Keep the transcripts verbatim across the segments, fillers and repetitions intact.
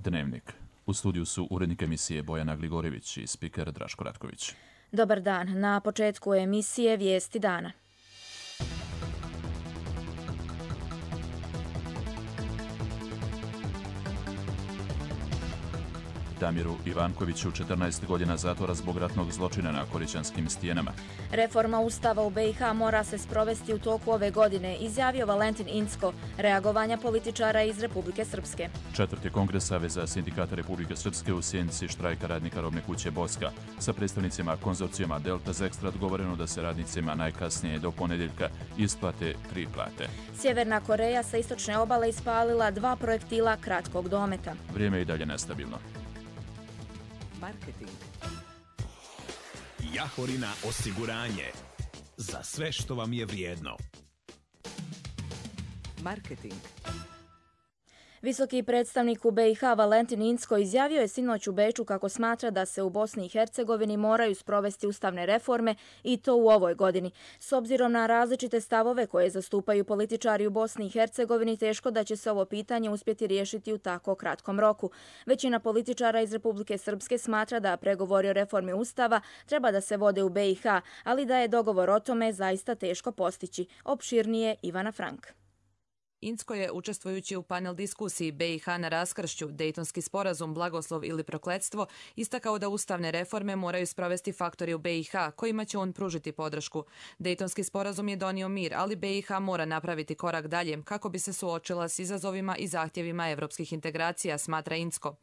Dnevnik. U studiju su urednik emisije Bojana Gligorjević i spiker Draško Ratković. Dobar dan. Na početku emisije Vijesti dana. Damiru Ivankoviću četrnaest godina zatvora zbog ratnog zločina na Korićanskim stijenama. Reforma Ustava u B i H mora se sprovesti u toku ove godine, izjavio Valentin Incko, reagovanja političara iz Republike Srpske. Četvrti kongres Saveza sindikata Republike Srpske u sjenci štrajka radnika robne kuće Boska. Sa predstavnicima konzorcijuma Delta Zekstra dogovoreno da se radnicima najkasnije do ponedjeljka isplate tri plate. Sjeverna Koreja sa istočne obale ispalila dva projektila kratkog dometa. Vrijeme je i dalje nestabilno. Marketing. Jahorina osiguranje. Za sve što vam je vrijedno. Marketing. Visoki predstavnik u B i H Valentin Incko izjavio je sinoć u Beču kako smatra da se u Bosni i Hercegovini moraju sprovesti ustavne reforme i to u ovoj godini. S obzirom na različite stavove koje zastupaju političari u Bosni i Hercegovini, teško da će se ovo pitanje uspjeti riješiti u tako kratkom roku. Većina političara iz Republike Srpske smatra da pregovori o reformi Ustava treba da se vode u B i H, ali da je dogovor o tome zaista teško postići. Opširnije Ivana Frank. Incko je, učestvujući u panel diskusiji B i H na raskršću, Dejtonski sporazum, blagoslov ili prokletstvo, istakao da ustavne reforme moraju sprovesti faktori u B i H, kojima će on pružiti podršku. Dejtonski sporazum je donio mir, ali B i H mora napraviti korak dalje kako bi se suočila s izazovima i zahtjevima evropskih integracija, smatra Incko.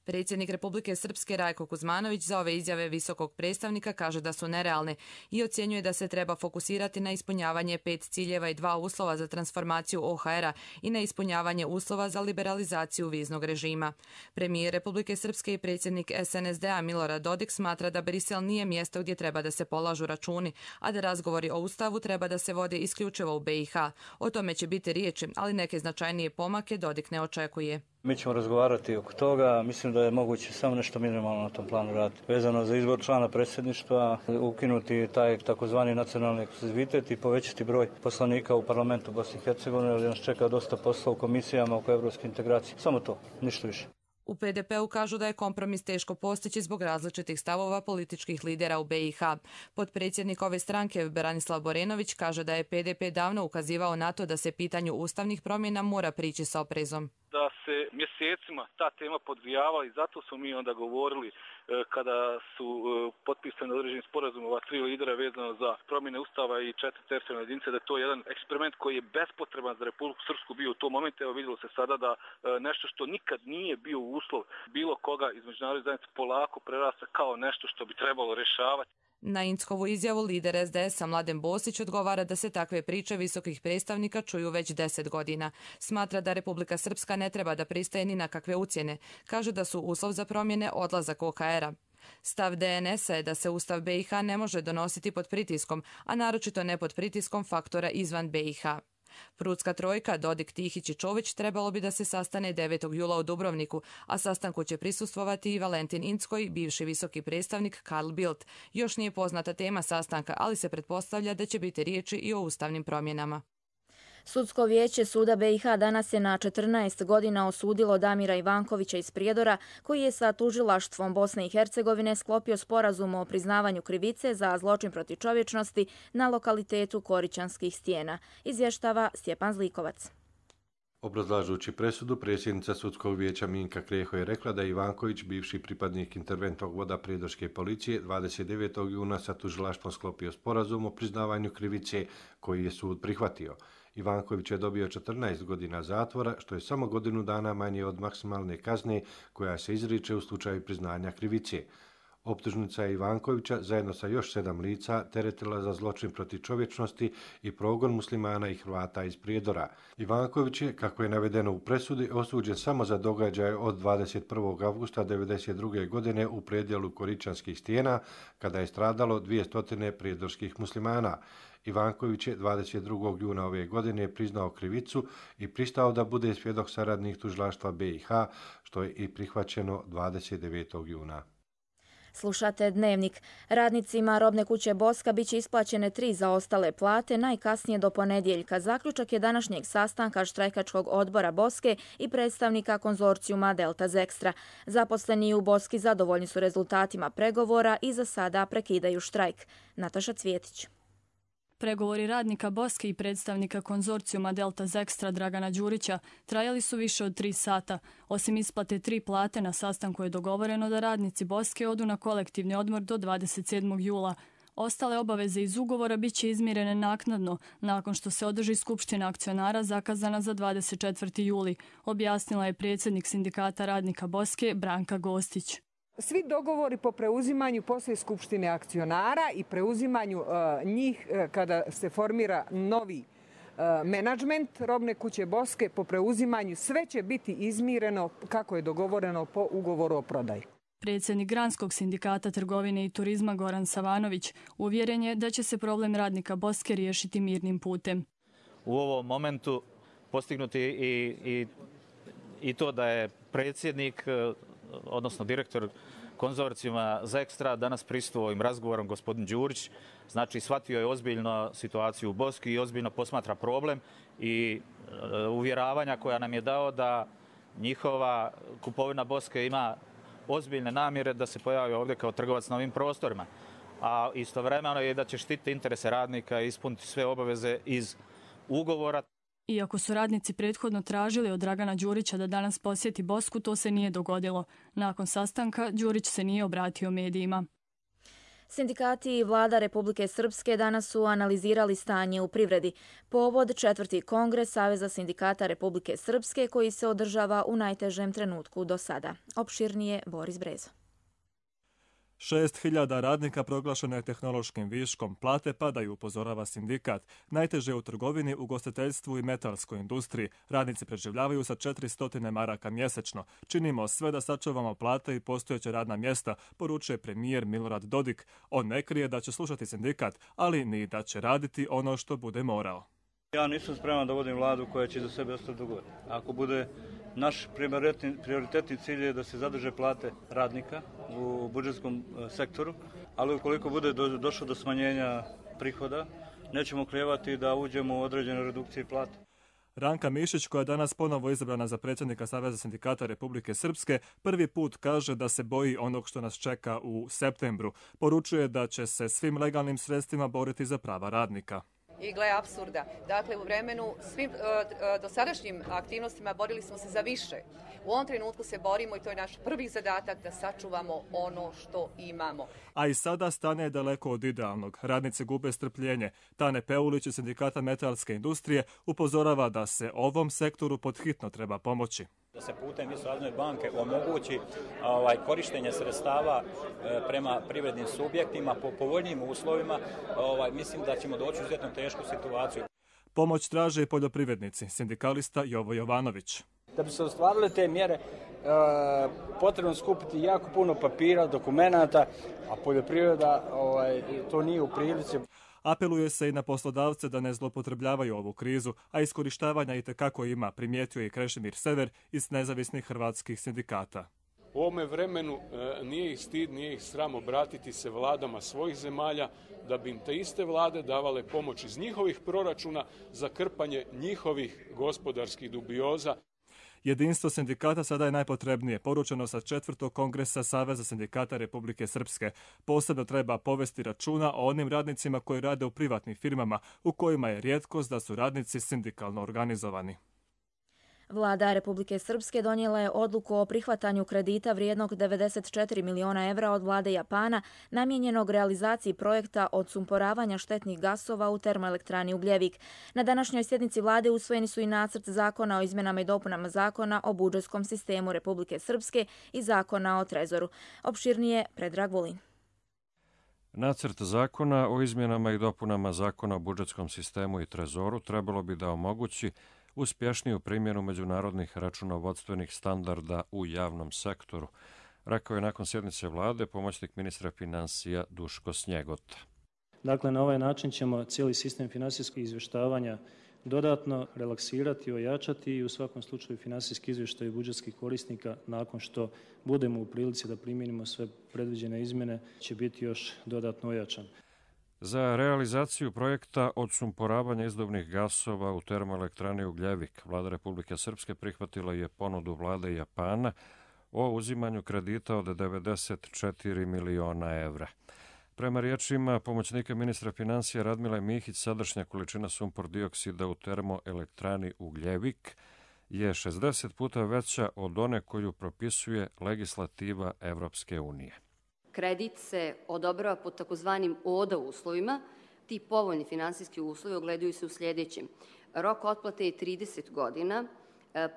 Predsjednik Republike Srpske Rajko Kuzmanović za ove izjave visokog predstavnika kaže da su nerealne i ocjenjuje da se treba fokusirati na ispunjavanje pet ciljeva i dva uslova za transformaciju O H R-a i na ispunjavanje uslova za liberalizaciju viznog režima. Premijer Republike Srpske i predsjednik S N S D-a Milorad Dodik smatra da Brisel nije mjesto gdje treba da se polažu računi, a da razgovori o Ustavu treba da se vode isključivo u B i H. O tome će biti riječi, ali neke značajnije pomake Dodik ne očekuje. Mi ćemo razgovarati oko toga, mislim da je moguće samo nešto minimalno na tom planu raditi. Vezano za izbor člana predsjedništva, ukinuti taj takozvani nacionalni ekskluzivitet i povećati broj poslanika u parlamentu Bosne i Hercegovine, jer nas čeka dosta posla u komisijama oko evropske integracije. Samo to, ništa više. U P D P-u kažu da je kompromis teško postići zbog različitih stavova političkih lidera u B i H. Potpredsjednik ove stranke Branislav Borenović kaže da je P D P davno ukazivao na to da se pitanju ustavnih promjena mora prići s oprezom. Da se mjesecima ta tema podgrijava i zato smo mi onda govorili kada su potpisani određeni sporazum ova tri lidera vezano za promjene Ustava i četiri teritorijalne jedinice, da je to jedan eksperiment koji je bespotreban za Republiku Srpsku bio u tom momentu. Evo vidjelo se sada da nešto što nikad nije bio uslov bilo koga iz međunarodne zajednice polako prerasta kao nešto što bi trebalo rješavati. Na Inckovu izjavu lider S D S-a Mladen Bosić odgovara da se takve priče visokih predstavnika čuju već deset godina. Smatra da Republika Srpska ne treba da pristaje ni na kakve ucjene. Kaže da su uslov za promjene odlazak O H R-a. Stav D N S-a je da se Ustav B i H ne može donositi pod pritiskom, a naročito ne pod pritiskom faktora izvan B i H. Prudska trojka Dodik, Tihić i Čović trebalo bi da se sastane devetog jula u Dubrovniku, a sastanku će prisustvovati i Valentin Incko i bivši visoki predstavnik Karl Bildt. Još nije poznata tema sastanka, ali se pretpostavlja da će biti riječi i o ustavnim promjenama. Sudsko vijeće Suda B i H danas je na četrnaest godina osudilo Damira Ivankovića iz Prijedora, koji je sa tužilaštvom Bosne i Hercegovine sklopio sporazum o priznavanju krivice za zločin protiv čovječnosti na lokalitetu Korićanskih stijena, izvještava Stjepan Zlikovac. Obrazlažući presudu, predsjednica Sudskog vijeća Minka Kreho je rekla da je Ivanković, bivši pripadnik interventnog voda prijedorske policije, dvadeset devetog juna sa tužilaštvom sklopio sporazum o priznavanju krivice koji je sud prihvatio. Ivanković je dobio četrnaest godina zatvora, što je samo godinu dana manje od maksimalne kazne koja se izriče u slučaju priznanja krivice. Optužnica je Ivankovića zajedno sa još sedam lica teretila za zločin protiv čovječnosti i progon muslimana i Hrvata iz Prijedora. Ivanković je, kako je navedeno u presudi, osuđen samo za događaje od dvadeset prvog avgusta devedeset druge godine u predjelu Korićanskih stijena, kada je stradalo dvjesto prijedorskih muslimana. Ivanković je dvadeset drugog juna ove godine priznao krivicu i pristao da bude svjedok saradnik tužilaštva B i H, što je i prihvaćeno dvadeset devetog juna. Slušate Dnevnik. Radnicima robne kuće Boska bit će isplaćene tri zaostale plate najkasnije do ponedjeljka. Zaključak je današnjeg sastanka štrajkačkog odbora Boske i predstavnika konzorcijuma Delta Zextra. Zaposleni u Boski zadovoljni su rezultatima pregovora i za sada prekidaju štrajk. Nataša Cvjetić. Pregovori radnika Boske i predstavnika konzorcijuma Delta Zextra Dragana Đurića trajali su više od tri sata. Osim isplate tri plate, na sastanku je dogovoreno da radnici Boske odu na kolektivni odmor do dvadeset sedmog jula. Ostale obaveze iz ugovora bit će izmirene naknadno, nakon što se održi skupština akcionara zakazana za dvadeset četvrti juli, objasnila je predsjednik sindikata radnika Boske Branka Gostić. Svi dogovori po preuzimanju poslije skupštine akcionara i preuzimanju uh, njih uh, kada se formira novi uh, menadžment robne kuće Boske, po preuzimanju sve će biti izmireno kako je dogovoreno po ugovoru o prodaji. Predsjednik Granskog sindikata trgovine i turizma Goran Savanović uvjeren je da će se problem radnika Boske riješiti mirnim putem. U ovom momentu postignuti i, i, i to da je predsjednik, odnosno direktor konzorcijuma Zextra danas prisustvovao ovim razgovorom gospodin Đurić, znači shvatio je ozbiljno situaciju u Boski i ozbiljno posmatra problem i e, uvjeravanja koja nam je dao da njihova kupovina Boske ima ozbiljne namjere da se pojavi ovdje kao trgovac na ovim prostorima, a istovremeno je da će štititi interese radnika i ispuniti sve obaveze iz ugovora. Iako su radnici prethodno tražili od Dragana Đurića da danas posjeti Bosku, to se nije dogodilo. Nakon sastanka Đurić se nije obratio medijima. Sindikati i vlada Republike Srpske danas su analizirali stanje u privredi. Povod četvrti kongres Saveza sindikata Republike Srpske koji se održava u najtežem trenutku do sada. Opširnije Boris Brezo. Šest hiljada radnika proglašeno je tehnološkim viškom. Plate padaju, upozorava sindikat. Najteže u trgovini, ugostiteljstvu i metalskoj industriji. Radnici preživljavaju sa četiristo maraka mjesečno. Činimo sve da sačuvamo plate i postojeće radna mjesta, poručuje premijer Milorad Dodik. On ne krije da će slušati sindikat, ali ni da će raditi ono što bude morao. Ja nisam spreman da vodim vladu koja će za sebe ostati dugo. Ako bude naš prioritetni cilj je da se zadrže plate radnika u budžetskom sektoru, ali ukoliko bude do, došlo do smanjenja prihoda, nećemo klijevati da uđemo u određene redukcije plate. Ranka Mišić, koja je danas ponovo izabrana za predsjednika Saveza sindikata Republike Srpske, prvi put kaže da se boji onog što nas čeka u septembru. Poručuje da će se svim legalnim sredstvima boriti za prava radnika. I gle apsurda. Dakle, u vremenu svim uh, dosadašnjim aktivnostima borili smo se za više. U ovom trenutku se borimo i to je naš prvi zadatak da sačuvamo ono što imamo. A i sada stanje je daleko od idealnog. Radnici gube strpljenje. Tane Peulić iz sindikata metalske industrije upozorava da se ovom sektoru podhitno treba pomoći. Da se putem Razvojne banke omogući ovaj, korištenje sredstava e, prema privrednim subjektima po povoljnijim uslovima, ovaj, mislim da ćemo doći u izuzetno tešku situaciju. Pomoć traže i poljoprivrednici, sindikalista Jovo Jovanović. Da bi se ostvarile te mjere, e, potrebno skupiti jako puno papira, dokumenata, a poljoprivreda ovaj, to nije u prilici. Apeluje se i na poslodavce da ne zloupotrebljavaju ovu krizu, a iskorištavanja itekako ima, primijetio je i Krešimir Sever iz nezavisnih hrvatskih sindikata. U ovome vremenu e, nije ih stid, nije ih sram obratiti se vladama svojih zemalja, da bi im te iste vlade davale pomoć iz njihovih proračuna za krpanje njihovih gospodarskih dubioza. Jedinstvo sindikata sada je najpotrebnije, poručeno sa četvrtog kongresa Saveza sindikata Republike Srpske. Posebno treba povesti računa o onim radnicima koji rade u privatnim firmama, u kojima je rijetkost da su radnici sindikalno organizovani. Vlada Republike Srpske donijela je odluku o prihvatanju kredita vrijednog devedeset četiri miliona evra od vlade Japana namijenjenog realizaciji projekta odsumporavanja štetnih gasova u termoelektrani Ugljevik. Na današnjoj sjednici vlade usvojeni su i nacrt zakona o izmjenama i dopunama zakona o budžetskom sistemu Republike Srpske i zakona o trezoru. Opširnije Predrag Vulin. Nacrt zakona o izmjenama i dopunama zakona o budžetskom sistemu i trezoru trebalo bi da omogući uspješniju primjenu međunarodnih računovodstvenih standarda u javnom sektoru, rekao je nakon sjednice vlade pomoćnik ministra financija Duško Snjegota. Dakle, na ovaj način ćemo cijeli sistem finansijskog izvještavanja dodatno relaksirati, ojačati i u svakom slučaju financijski izvještaj budžetskih korisnika nakon što budemo u prilici da primijenimo sve predviđene izmjene će biti još dodatno ojačan. Za realizaciju projekta odsumporavanja izduvnih gasova u termoelektrani Ugljevik, Vlada Republike Srpske prihvatila je ponudu vlade Japana o uzimanju kredita od devedeset četiri miliona evra. Prema riječima pomoćnika ministra financija Radmile Mihić, sadašnja količina sumpor dioksida u termoelektrani Ugljevik je šezdeset puta veća od one koju propisuje legislativa Evropske unije. Kredit se odobrava pod takozvanim O D A uslovima. Ti povoljni finansijski uslovi ogledaju se u sljedećem. Rok otplate je trideset godina,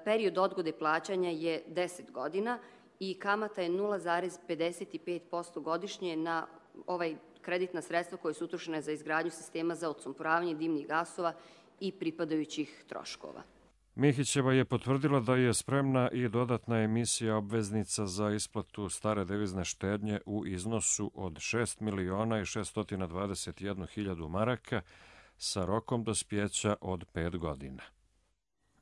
period odgode plaćanja je deset godina i kamata je nula zarez pedeset pet posto godišnje na ovaj kreditna sredstva koje su utrošene za izgradnju sistema za odsumporavanje dimnih gasova i pripadajućih troškova. Mihićeva je potvrdila da je spremna i dodatna emisija obveznica za isplatu stare devizne štednje u iznosu od šest miliona i šeststo dvadeset jednu hiljadu maraka sa rokom dospjeća od pet godina.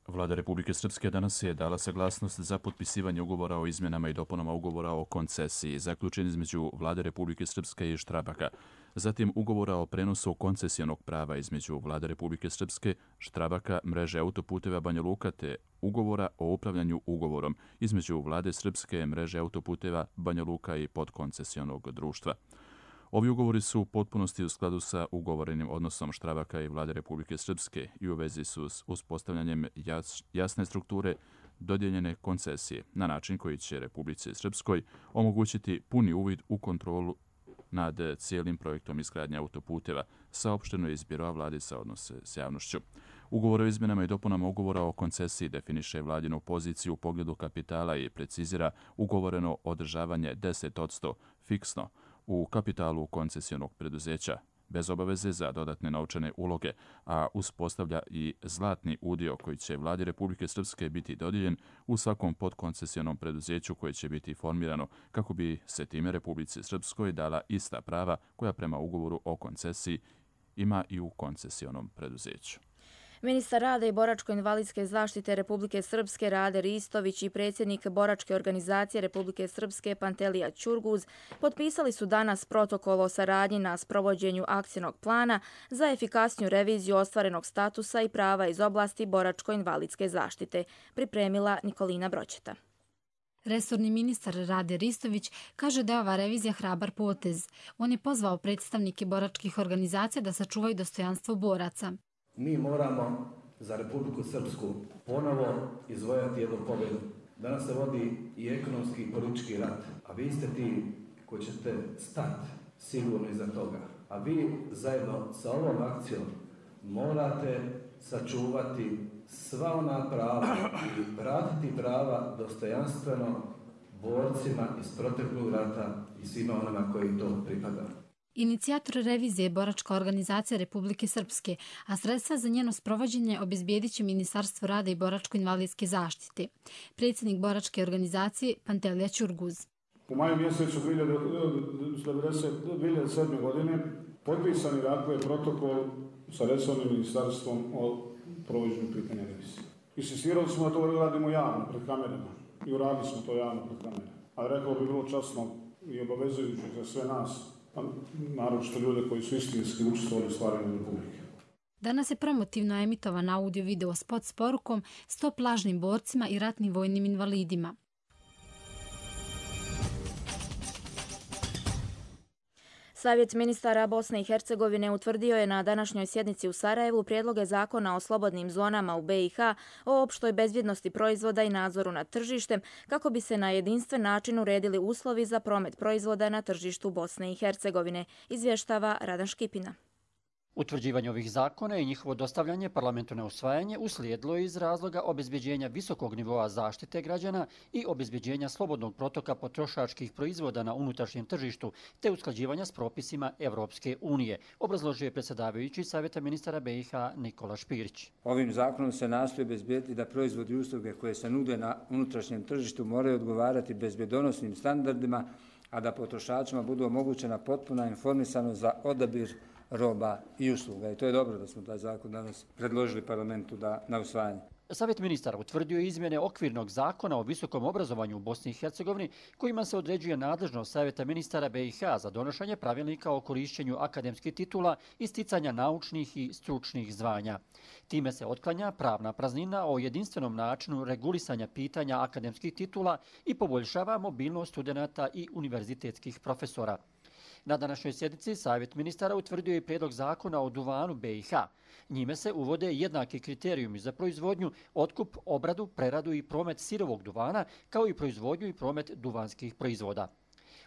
Vlada Republike Srpske danas je dala saglasnost za potpisivanje ugovora o izmjenama i dopunama ugovora o koncesiji, zaključen između Vlade Republike Srpske i Štrabaka. Zatim ugovora o prenosu koncesijonog prava između Vlade Republike Srpske, Štrabaka, mreže autoputeva Banja Luka te ugovora o upravljanju ugovorom između Vlade Srpske, mreže autoputeva Banja Luka i podkoncesijonog društva. Ovi ugovori su u potpunosti u skladu sa ugovorenim odnosom Štrabaka i Vlade Republike Srpske i u vezi su s uspostavljanjem jasne strukture dodijeljene koncesije na način koji će Republici Srpskoj omogućiti puni uvid u kontrolu nad cijelim projektom izgradnje autoputeva, saopšteno je iz Biroa vlade za odnose s javnošću. Ugovor o izmjenama i dopunama ugovora o koncesiji definiše vladinu poziciju u pogledu kapitala i precizira ugovoreno održavanje deset posto fiksno u kapitalu koncesijonog preduzeća, bez obaveze za dodatne novčane uloge, a uspostavlja i zlatni udio koji će Vladi Republike Srpske biti dodijeljen u svakom podkoncesijonom preduzeću koje će biti formirano kako bi se time Republici Srpskoj dala ista prava koja prema ugovoru o koncesiji ima i u koncesijonom preduzeću. Ministar rada i boračko-invalidske zaštite Republike Srpske Rade Ristović i predsjednik Boračke organizacije Republike Srpske Pantelija Ćurguz potpisali su danas protokol o saradnji na sprovođenju akcijnog plana za efikasniju reviziju ostvarenog statusa i prava iz oblasti boračko-invalidske zaštite, pripremila Nikolina Broćeta. Resorni ministar Rade Ristović kaže da je ova revizija hrabar potez. On je pozvao predstavnike boračkih organizacija da sačuvaju dostojanstvo boraca. Mi moramo za Republiku Srpsku ponovo izvojati jednu pobjedu. Danas se vodi i ekonomski i politički rat, a vi ste ti koji ćete stati sigurno iza toga. A vi zajedno sa ovom akcijom morate sačuvati sva ona prava i vratiti prava dostojanstveno borcima iz proteklog rata i svima onima koji to pripada. Inicijator revizije je Boračka organizacija Republike Srpske, a sredstva za njeno sprovođenje obezbijedit će Ministarstvo rada i boračko-invalidske zaštite. Predsjednik Boračke organizacije Pantelija Ćurguz. U maju mjesecu dvije hiljade sedme. godine potpisan je dakle protokol sa resornim ministarstvom o provođenju pitanja revizije. Insistirali smo da to radimo javno pred kamerama i uradili smo to javno pred kamerama. A rekao bi bilo časno i obavezujuće za sve nas, naročito ljude koji su istinski učestvovali u stvaranju Republike. Danas je promotivno emitovan audio-video spot s porukom Stop lažnim borcima i ratnim vojnim invalidima. Savjet ministara Bosne i Hercegovine utvrdio je na današnjoj sjednici u Sarajevu prijedloge zakona o slobodnim zonama u B i H, o opštoj bezbjednosti proizvoda i nadzoru nad tržištem, kako bi se na jedinstven način uredili uslovi za promet proizvoda na tržištu Bosne i Hercegovine, izvještava Radan Škipina. Utvrđivanje ovih zakona i njihovo dostavljanje parlamentu na usvajanje uslijedilo je iz razloga obezbeđenja visokog nivoa zaštite građana i obezbeđenja slobodnog protoka potrošačkih proizvoda na unutrašnjem tržištu te usklađivanja s propisima Evropske unije, obrazložio je predsjedavajući Savjeta ministara B i H Nikola Špirić. Ovim zakonom se nastoji obezbediti da proizvodi i usluge koje se nude na unutrašnjem tržištu moraju odgovarati bezbjedonosnim standardima, a da potrošačima budu omogućena potpuna informisanost za odabir roba i usluga. I to je dobro da smo taj zakon danas predložili parlamentu da, na usvajanje. Savjet ministara utvrdio izmjene okvirnog zakona o visokom obrazovanju u Bosni i Hercegovini kojima se određuje nadležnost Savjeta ministara B i H za donošenje pravilnika o korišćenju akademskih titula i sticanja naučnih i stručnih zvanja. Time se otklanja pravna praznina o jedinstvenom načinu regulisanja pitanja akademskih titula i poboljšava mobilnost studenata i univerzitetskih profesora. Na današnjoj sjednici Savjet ministara utvrdio je prijedlog zakona o duvanu B i H. Njime se uvode jednaki kriterijumi za proizvodnju, otkup, obradu, preradu i promet sirovog duvana, kao i proizvodnju i promet duvanskih proizvoda.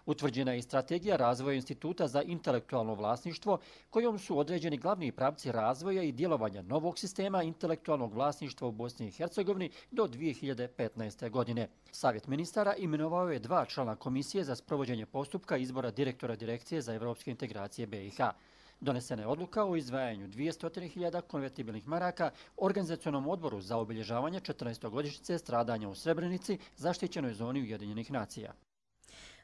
Utvrđena je i strategija razvoja Instituta za intelektualno vlasništvo, kojom su određeni glavni pravci razvoja i djelovanja novog sistema intelektualnog vlasništva u Bosni i Hercegovini do dvije hiljade petnaeste. godine. Savjet ministara imenovao je dva člana komisije za sprovođenje postupka izbora direktora Direkcije za evropske integracije B i H. Donesena je odluka o izdvajanju dvjesto hiljada konvertibilnih maraka Organizacionom odboru za obilježavanje četrnaestogodišnjice stradanja u Srebrenici, zaštićenoj zoni Ujedinjenih nacija.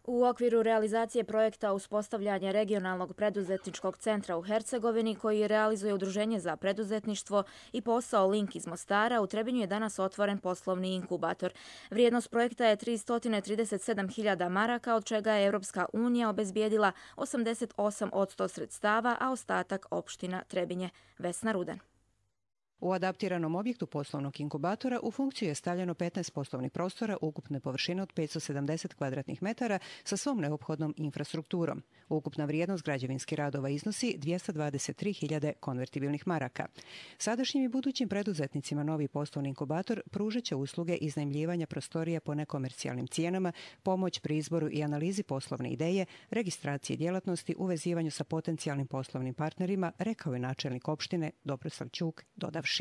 U okviru realizacije projekta uspostavljanja regionalnog preduzetničkog centra u Hercegovini, koji realizuje Udruženje za preduzetništvo i posao Link iz Mostara, u Trebinju je danas otvoren poslovni inkubator. Vrijednost projekta je tristo trideset sedam hiljada maraka, od čega je Europska unija obezbijedila osamdeset osam posto sredstava, a ostatak opština Trebinje. Vesna Rudan. U adaptiranom objektu poslovnog inkubatora u funkciju je stavljeno petnaest poslovnih prostora ukupne površine od petsto sedamdeset kvadratnih metara sa svom neophodnom infrastrukturom. Ukupna vrijednost građevinskih radova iznosi dvjesto dvadeset tri hiljade konvertibilnih maraka. Sadašnjim i budućim preduzetnicima novi poslovni inkubator pružat će usluge iznajmljivanja prostorija po nekomercijalnim cijenama, pomoć pri izboru i analizi poslovne ideje, registracije djelatnosti, uvezivanju sa potencijalnim poslovnim partnerima, rekao je načelnik opštine Dobroslav Ćuk, dodavši.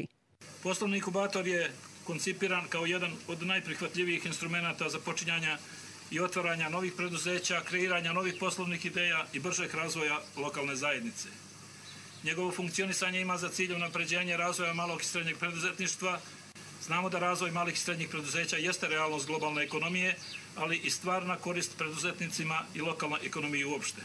Poslovni inkubator je koncipiran kao jedan od najprihvatljivijih instrumenata za počinjanja i otvaranja novih preduzeća, kreiranja novih poslovnih ideja i bržeg razvoja lokalne zajednice. Njegovo funkcionisanje ima za cilj unapređenje razvoja malog i srednjeg preduzetništva. Znamo da razvoj malih i srednjih preduzeća jeste realnost globalne ekonomije, ali i stvarna korist preduzetnicima i lokalnoj ekonomiji uopšte.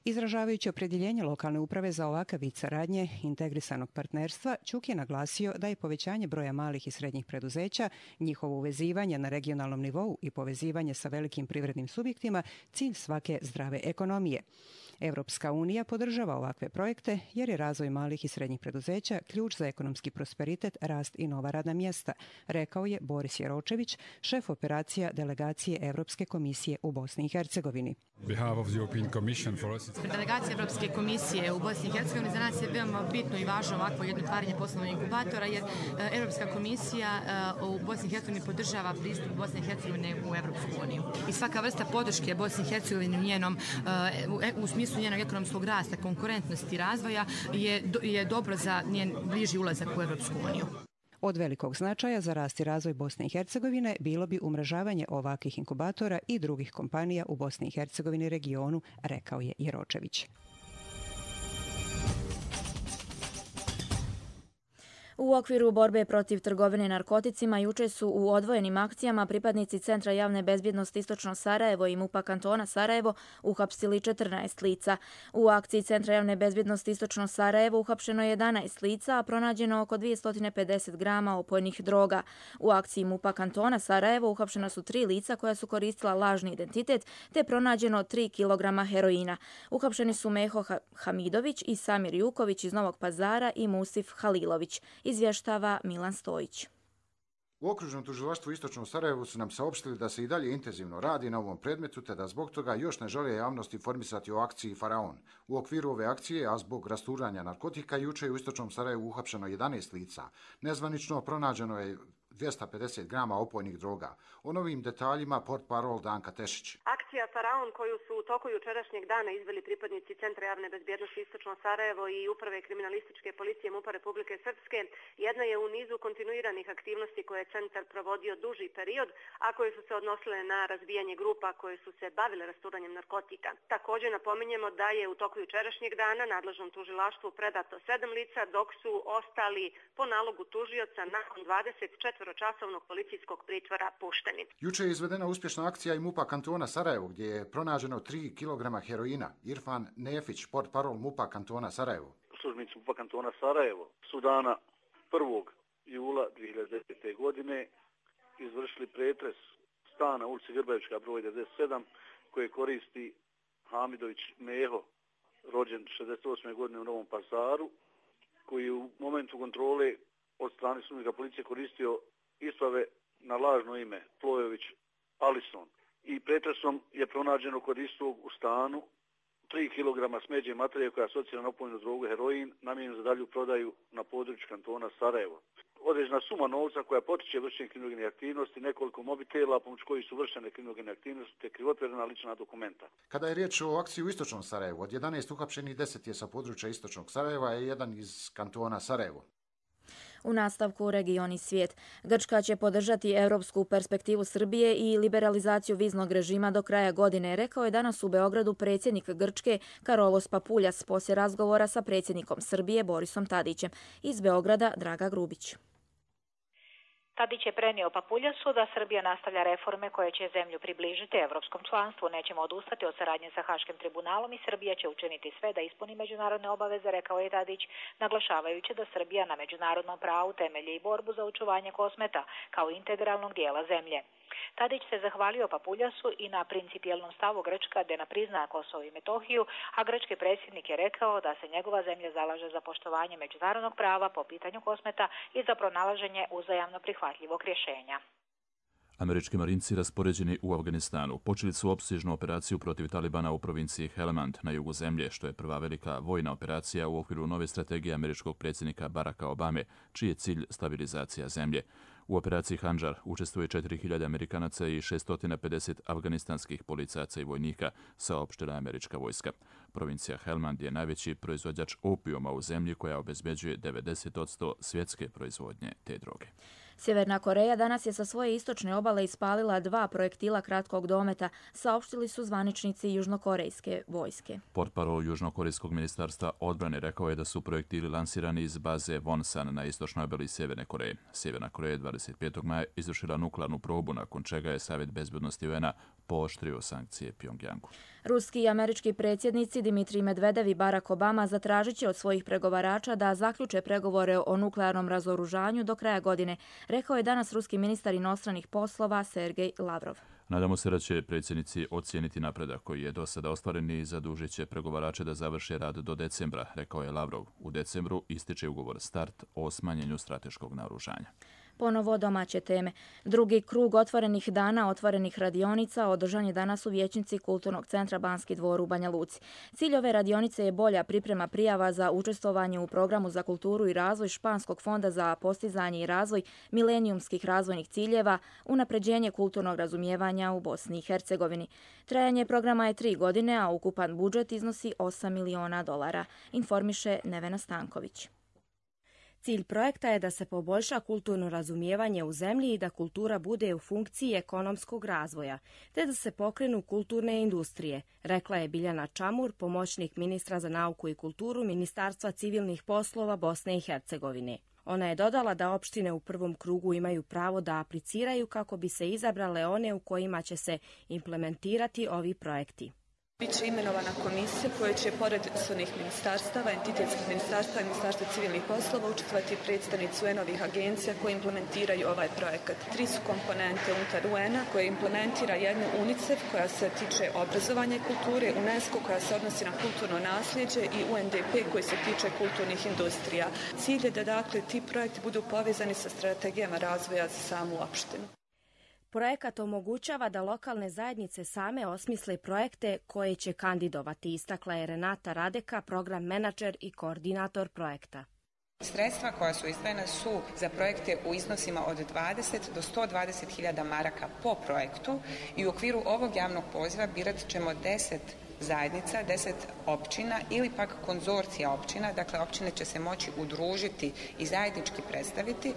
Izražavajući opredjeljenje lokalne uprave za ovakav vid saradnje integrisanog partnerstva, Ćuk je naglasio da je povećanje broja malih i srednjih preduzeća, njihovo uvezivanje na regionalnom nivou i povezivanje sa velikim privrednim subjektima cilj svake zdrave ekonomije. Evropska unija podržava ovakve projekte jer je razvoj malih i srednjih preduzeća ključ za ekonomski prosperitet, rast i nova radna mjesta, rekao je Boris Jeročević, šef operacija delegacije Evropske komisije u Bosni i Hercegovini. Delegacija Evropske komisije u Bosni i Hercegovini za nas je veoma bitno i važno ovakvo jedno otvaranje poslovnog inkubatora, jer Evropska komisija u Bosni i Hercegovini podržava pristup Bosne i Hercegovine u Evropsku uniju. I svaka vrsta podrške Bosni i Hercegovini u njenom u smislu njenog ekonomskog rasta, konkurentnosti i razvoja je, je dobro za njen bliži ulazak u Evropsku uniju. Od velikog značaja za rast i razvoj Bosne i Hercegovine bilo bi umrežavanje ovakvih inkubatora i drugih kompanija u Bosni i Hercegovini regionu, rekao je Jeročević. U okviru borbe protiv trgovine narkoticima juče su u odvojenim akcijama pripadnici Centra javne bezbjednosti Istočno Sarajevo i MUP-a kantona Sarajevo uhapsili četrnaest lica. U akciji Centra javne bezbjednosti Istočno Sarajevo uhapšeno je jedanaest lica, a pronađeno oko dvjesto pedeset grama opojnih droga. U akciji MUP-a kantona Sarajevo uhapšena su tri lica koja su koristila lažni identitet, te pronađeno tri kilograma heroina. Uhapšeni su Meho Hamidović i Samir Juković iz Novog Pazara i Musif Halilović. Izvještava Milan Stojić. U okružnom tužilaštvu Istočnom Sarajevu su nam saopštili da se i dalje intenzivno radi na ovom predmetu, te da zbog toga još ne žele javnost informisati o akciji Faraon. U okviru ove akcije, a zbog rasturanja narkotika, juče je u Istočnom Sarajevu uhapšeno jedanaest lica. Nezvanično pronađeno je dvjesto pedeset grama opojnih droga. O novim detaljima portparol Danka Tešić. Akcija Faraon koju su u toku jučerašnjeg dana izveli pripadnici Centra javne bezbjednosti Istočno Sarajevo i Uprave kriminalističke policije MUP-a Republike Srpske jedna je u nizu kontinuiranih aktivnosti koje je centar provodio duži period, a koje su se odnosile na razbijanje grupa koje su se bavile rasturanjem narkotika. Također napominjemo da je u toku jučerašnjeg dana nadležnom tužilaštvu predato sedam lica, dok su ostali po nalogu tužioca nakon dvadeset četiri časovnog policijskog pritvora pušteni. Juče je izvedena uspješna akcija i MUP-a kantona Sarajevo Sarajevo gdje je pronađeno tri kilograma heroina. Irfan Nefić, portparol MUP-a kantona Sarajevo. Službenici MUP-a kantona Sarajevo su dana prvog jula dvije hiljade desete. godine izvršili pretres stana ulici Grbavička broj devedeset sedam koje koristi Hamidović Meho, rođen šezdeset osme. godine u Novom Pazaru, koji u momentu kontrole od strane službenika policije koristio isprave na lažno ime Plojović Alison. I pretresom je pronađeno kod istog u stanu tri kilograma smeđe materije koja je asocirana na opojnu drogu heroin, namijenjen za dalju prodaju na području kantona Sarajevo. Određena suma novca koja potiče vršenje kriminogene aktivnosti, nekoliko mobitela pomoć kojih su vršene kriminogene aktivnosti te krivotvorena lična dokumenta. Kada je riječ o akciji u istočnom Sarajevu, od jedanaest uhapšenih deset je sa područja istočnog Sarajeva, a jedan iz kantona Sarajevo. U nastavku region i svijet. Grčka će podržati europsku perspektivu Srbije i liberalizaciju viznog režima do kraja godine, rekao je danas u Beogradu predsjednik Grčke Karolos Papuljas poslije razgovora sa predsjednikom Srbije Borisom Tadićem. Iz Beograda Draga Grubić. Tadić je prenio Papuljasu da Srbija nastavlja reforme koje će zemlju približiti evropskom članstvu. Nećemo odustati od saradnje sa Haškim tribunalom i Srbija će učiniti sve da ispuni međunarodne obaveze, rekao je Tadić, naglašavajući da Srbija na međunarodnom pravu temelji i borbu za očuvanje Kosmeta kao integralnog dijela zemlje. Tadić se zahvalio Papuljasu i na principijelnom stavu Grčka da ne prizna Kosovo i Metohiju, a grčki predsjednik je rekao da se njegova zemlja zalaže za poštovanje međunarodnog prava po pitanju Kosmeta i za pronalaženje uzajamno prihvatljivog rješenja. Američki marinci raspoređeni u Afganistanu počeli su opsežnu operaciju protiv Talibana u provinciji Helmand na jugu zemlje, što je prva velika vojna operacija u okviru nove strategije američkog predsjednika Baracka Obame, čiji je cilj stabilizacija zemlje. U operaciji Handžar učestvuje četiri hiljade Amerikanaca i šesto pedeset afganistanskih policajaca i vojnika, saopštila američka vojska. Provincija Helmand je najveći proizvođač opijuma u zemlji koja obezbeđuje devedeset posto svjetske proizvodnje te droge. Sjeverna Koreja danas je sa svoje istočne obale ispalila dva projektila kratkog dometa, saopštili su zvaničnici južnokorejske vojske. Portparol Južnokorejskog ministarstva odbrane rekao je da su projektili lansirani iz baze Wonsan na istočnoj obali Sjeverne Koreje. Sjeverna Koreja je dvadeset petog maja izvršila nuklearnu probu, nakon čega je Savjet bezbednosti U N A pooštrio sankcije Pjongjangu. Ruski i američki predsjednici Dimitrij Medvedev i Barack Obama zatražit će od svojih pregovarača da zaključe pregovore o nuklearnom razoružanju do kraja godine, rekao je danas ruski ministar inostranih poslova Sergej Lavrov. Nadamo se da će predsjednici ocijeniti napredak koji je do sada ostvaren i zadužit će pregovarače da završe rad do decembra, rekao je Lavrov. U decembru ističe ugovor START o smanjenju strateškog naoružanja. Ponovo domaće teme. Drugi krug otvorenih dana otvorenih radionica održan je danas u vijećnici Kulturnog centra Banski dvor u Banja Luci. Cilj ove radionice je bolja priprema prijava za učestvovanje u programu za kulturu i razvoj Španskog fonda za postizanje i razvoj milenijumskih razvojnih ciljeva, unapređenje kulturnog razumijevanja u Bosni i Hercegovini. Trajanje programa je tri godine, a ukupan budžet iznosi osam miliona dolara, informiše Nevena Stanković. Cilj projekta je da se poboljša kulturno razumijevanje u zemlji i da kultura bude u funkciji ekonomskog razvoja, te da se pokrenu kulturne industrije, rekla je Biljana Čamur, pomoćnik ministra za nauku i kulturu Ministarstva civilnih poslova Bosne i Hercegovine. Ona je dodala da opštine u prvom krugu imaju pravo da apliciraju kako bi se izabrale one u kojima će se implementirati ovi projekti. Biće imenovana komisija koja će, pored svojih ministarstava, entitetskih ministarstva i ministarstva civilnih poslova, učestvovati predstavnici U N-ovih agencija koje implementiraju ovaj projekat. Tri su komponente unutar U N-a koje implementira jednu UNICEF koja se tiče obrazovanja i kulture, UNESCO koja se odnosi na kulturno nasljeđe i U N D P koji se tiče kulturnih industrija. Cilj je da dakle ti projekti budu povezani sa strategijama razvoja za samu opštinu. Projekat omogućava da lokalne zajednice same osmisle projekte koje će kandidovati, istakla je Renata Radeka, program menadžer i koordinator projekta. Sredstva koja su izdvojena su za projekte u iznosima od dvadeset do sto dvadeset hiljada maraka po projektu i u okviru ovog javnog poziva birat ćemo deset zajednica, deset općina ili pak konzorcija općina, dakle općine će se moći udružiti i zajednički predstaviti.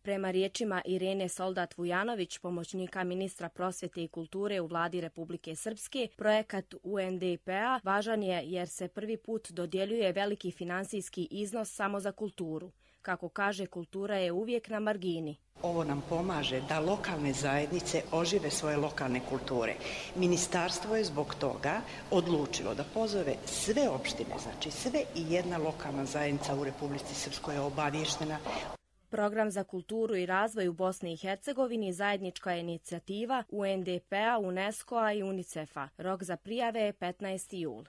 Prema riječima Irene Soldat-Vujanović, pomoćnika ministra prosvjete i kulture u vladi Republike Srpske, projekat U N D P-a važan je jer se prvi put dodjeljuje veliki finansijski iznos samo za kulturu. Kako kaže, kultura je uvijek na margini. Ovo nam pomaže da lokalne zajednice ožive svoje lokalne kulture. Ministarstvo je zbog toga odlučilo da pozove sve opštine, znači sve i jedna lokalna zajednica u Republici Srpskoj je obavještena. Program za kulturu i razvoj u Bosni i Hercegovini zajednička je inicijativa U N D P-a, UNESCO-a i UNICEF-a. Rok za prijave je petnaesti jul.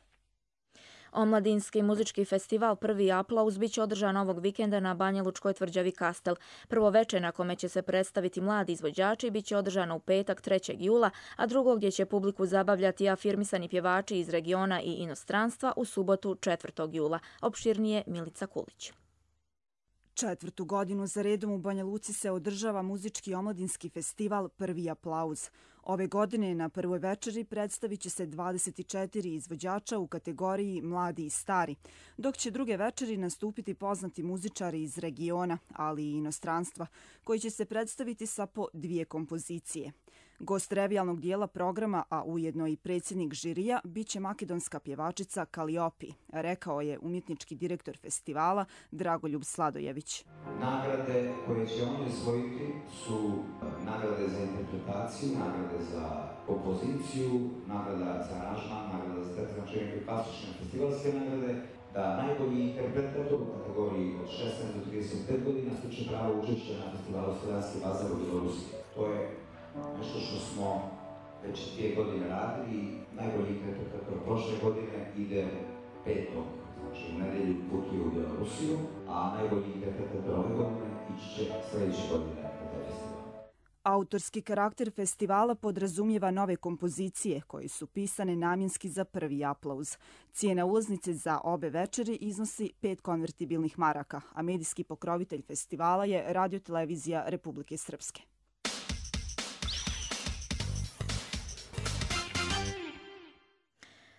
Omladinski muzički festival Prvi aplauz biće održan ovog vikenda na Banjalučkoj tvrđavi Kastel. Prvo veče na kome će se predstaviti mladi izvođači biće održano u petak trećeg jula, a drugo gdje će publiku zabavljati afirmisani pjevači iz regiona i inostranstva u subotu četvrtog jula. Opširnije Milica Kulić. Četvrtu godinu za redom u Banja Luci se održava muzički omladinski festival Prvi aplauz. Ove godine na prvoj večeri predstavit će se dvadeset četiri izvođača u kategoriji mladi i stari, dok će druge večeri nastupiti poznati muzičari iz regiona, ali i inostranstva, koji će se predstaviti sa po dvije kompozicije. Gost revijalnog dijela programa, a ujedno i predsjednik žirija, bit će makedonska pjevačica Kaliopi, rekao je umjetnički direktor festivala Dragoljub Sladojević. Nagrade koje će oni osvojiti su nagrade za interpretaciju, nagrade za kompoziciju, nagrada za aranžman, nagrada za tekst, znači neke klasične festivalske nagrade, da najbolji interpretator u kategoriji od šesnaest do trideset pet godina stiče pravo učešća na festivalu Slovenski bazar u Belorusiji. To je nešto što smo već dvije godine radili i najbolji interpretator prošle godine ide petog, znači u nedelju putuje u Belorusiju, a najbolji interpretator ove godine ići će sljedeće godine na taj festival. Autorski karakter festivala podrazumijeva nove kompozicije koje su pisane namjenski za Prvi aplauz. Cijena ulaznice za obe večeri iznosi pet konvertibilnih maraka, a medijski pokrovitelj festivala je Radiotelevizija Republike Srpske.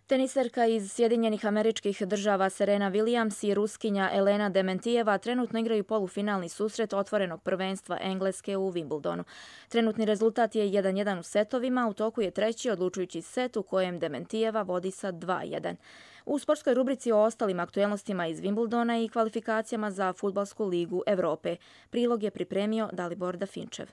Teniserka iz Sjedinjenih Američkih Država Serena Williams i Ruskinja Elena Dementijeva trenutno igraju polufinalni susret otvorenog prvenstva Engleske u Wimbledonu. Trenutni rezultat je jedan jedan u setovima, u toku je treći odlučujući set u kojem Dementijeva vodi sa dva jedan. U sportskoj rubrici o ostalim aktuelnostima iz Wimbledona i kvalifikacijama za Fudbalsku ligu Evrope. Prilog je pripremio Dalibor Dafinčev.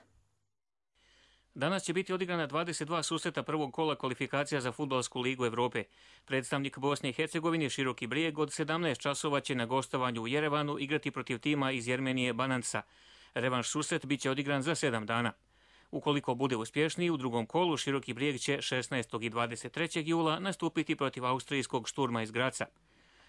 Danas će biti odigrana dvadeset dva susreta prvog kola kvalifikacija za Fudbalsku ligu Evrope. Predstavnik Bosne i Hercegovine Široki Brijeg od sedamnaest časova će na gostovanju u Jerevanu igrati protiv tima iz Jermenije Banansa. Revanš susret biće odigran za sedam dana. Ukoliko bude uspješniji, u drugom kolu Široki Brijeg će šesnaestog i dvadeset trećeg jula nastupiti protiv austrijskog Šturma iz Graca.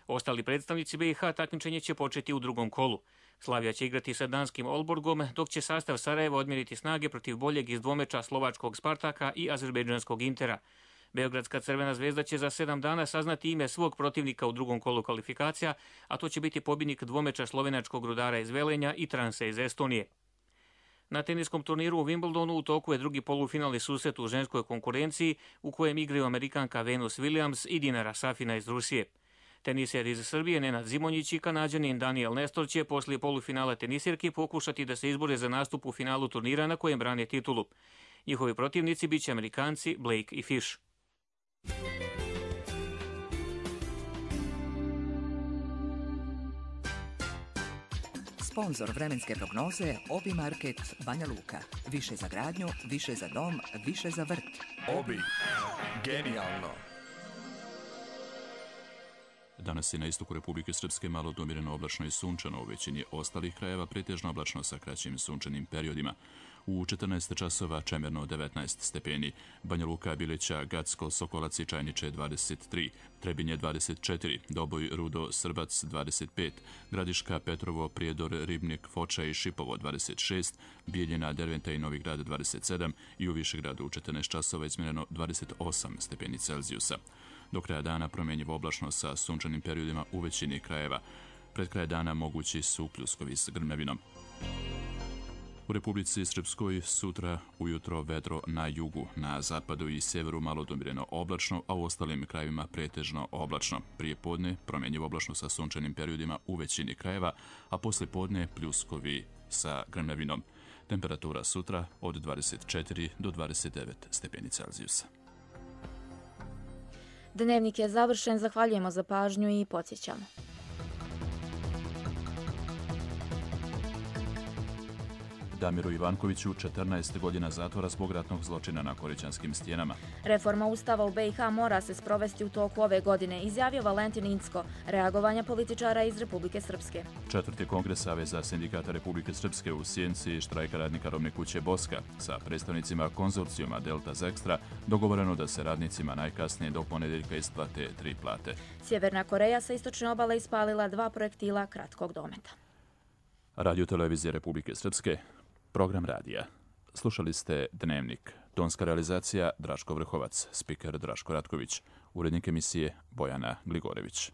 Ostali predstavnici B i H takmičenje će početi u drugom kolu. Slavija će igrati sa danskim Olborgom, dok će sastav Sarajeva odmjeriti snage protiv boljeg iz dvomeča slovačkog Spartaka i azerbejdžanskog Intera. Beogradska Crvena zvezda će za sedam dana saznati ime svog protivnika u drugom kolu kvalifikacija, a to će biti pobjednik dvomeča slovenačkog Rudara iz Velenja i Transe iz Estonije. Na teniskom turniru u Wimbledonu u toku je drugi polufinalni susret u ženskoj konkurenciji u kojem igraju Amerikanka Venus Williams i Dinara Safina iz Rusije. Teniser iz Srbije Nenad Zimonjić i Kanađanin Daniel Nestor će poslije polufinala tenisirki pokušati da se izbore za nastup u finalu turnira na kojem brane titulu. Njihovi protivnici biće Amerikanci Blake i Fish. Sponzor vremenske prognoze Obi Market Banja Luka. Više za gradnju, više za dom, više za vrt. Obi. Genijalno. Danas je na istoku Republike Srpske malo domireno oblačno i sunčano, u većini ostalih krajeva pretežno oblačno sa kraćim sunčanim periodima. U četrnaest časova čemerno devetnaest stepeni, Banja Luka, Bileća, Gacko, Sokolac i Čajniče dvadeset tri, Trebinje dvadeset četiri, Doboj, Rudo, Srbac dvadeset pet, Gradiška, Petrovo, Prijedor, Ribnik, Foča i Šipovo dvadeset šest, Bijeljina, Derventa i Novi Grad dvadeset sedam i u Višegradu u četrnaest časova izmjereno dvadeset osam stepeni Celzijusa. Do kraja dana promjenjivo oblačno sa sunčanim periodima u većini krajeva. Pred kraj dana mogući su pljuskovi s grmljavinom. U Republici Srpskoj sutra ujutro vedro na jugu, na zapadu i sjeveru malo domireno oblačno, a u ostalim krajevima pretežno oblačno. Prije podne promjenjivo oblačno sa sunčanim periodima u većini krajeva, a poslije podne pljuskovi sa grmljavinom. Temperatura sutra od dvadeset četiri do dvadeset devet stepeni Celzijusa. Dnevnik je završen, zahvaljujemo za pažnju i podsjećamo. Damiru Ivankoviću četrnaest godina zatvora zbog ratnog zločina na Korićanskim stijenama. Reforma Ustava u B i H mora se sprovesti u toku ove godine, izjavio Valentin Incko, reagovanja političara iz Republike Srpske. Četvrti kongres Saveza sindikata Republike Srpske u sjenci štrajka radnika robne kuće Boska sa predstavnicima konzorcijuma Delta Zextra dogovoreno da se radnicima najkasnije do ponedeljka isplate tri plate. Sjeverna Koreja sa istočne obale ispalila dva projektila kratkog dometa. Radio Televizije Republike Srpske, program radija. Slušali ste Dnevnik. Tonska realizacija Draško Vrhovac, spiker Draško Ratković, urednik emisije Bojana Gligorević.